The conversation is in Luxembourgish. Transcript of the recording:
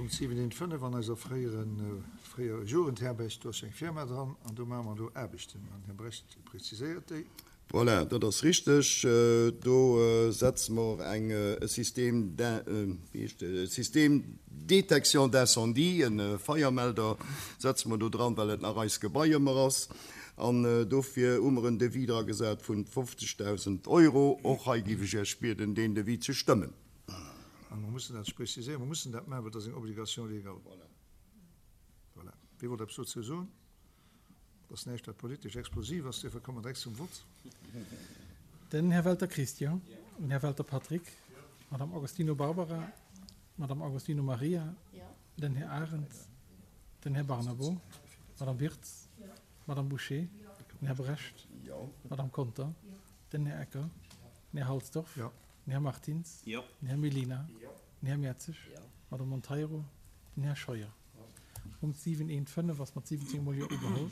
Punkt 7.1.5 an eiser fréieren, fréier Jugendherberg, do ass jo eng Firma dran an do maache mer elo Aarbechten an Här Brecht preziséiert déi. Voilà, dat ass richteg. Do setze mer eng e Système d'in, wéi heescht e Système détection d'incendie, e Feiermelder setze mer do dran, well et nach eis Gebai ëmmer ass. An dofir hu mer en Devis dragesat vun 50.000 Euro. Och hei géif ech Iech bieden, deen Devis ze stëmmen. A mer mussen dat preziséieren, mer mussen dat maachen, well dat ass eng Obligation légale. Voilà. Wie wollt eppes dozou soen? Et ass näischt, wat politesch explosiv ass, duerfir komme mer direkt zum Vott. Den Här Welter Christian, den Här Welter Patrick, d'Madame Agostino Barbara, d'Madame Agostino Maria, den Här Arendt, den Här Barnabo, d'Madame Wirtz, d'Madame Bouché, den Här Brecht, d'Madame Conter, den Här Ecker, den Här Halsdorf, den Här Martins, den Här Mellina, den Här Mertzig, d'Madame Monteiro, den Här Scheuer. Punkt 7.1.5 ass mat 17 mol Jo ugeholl.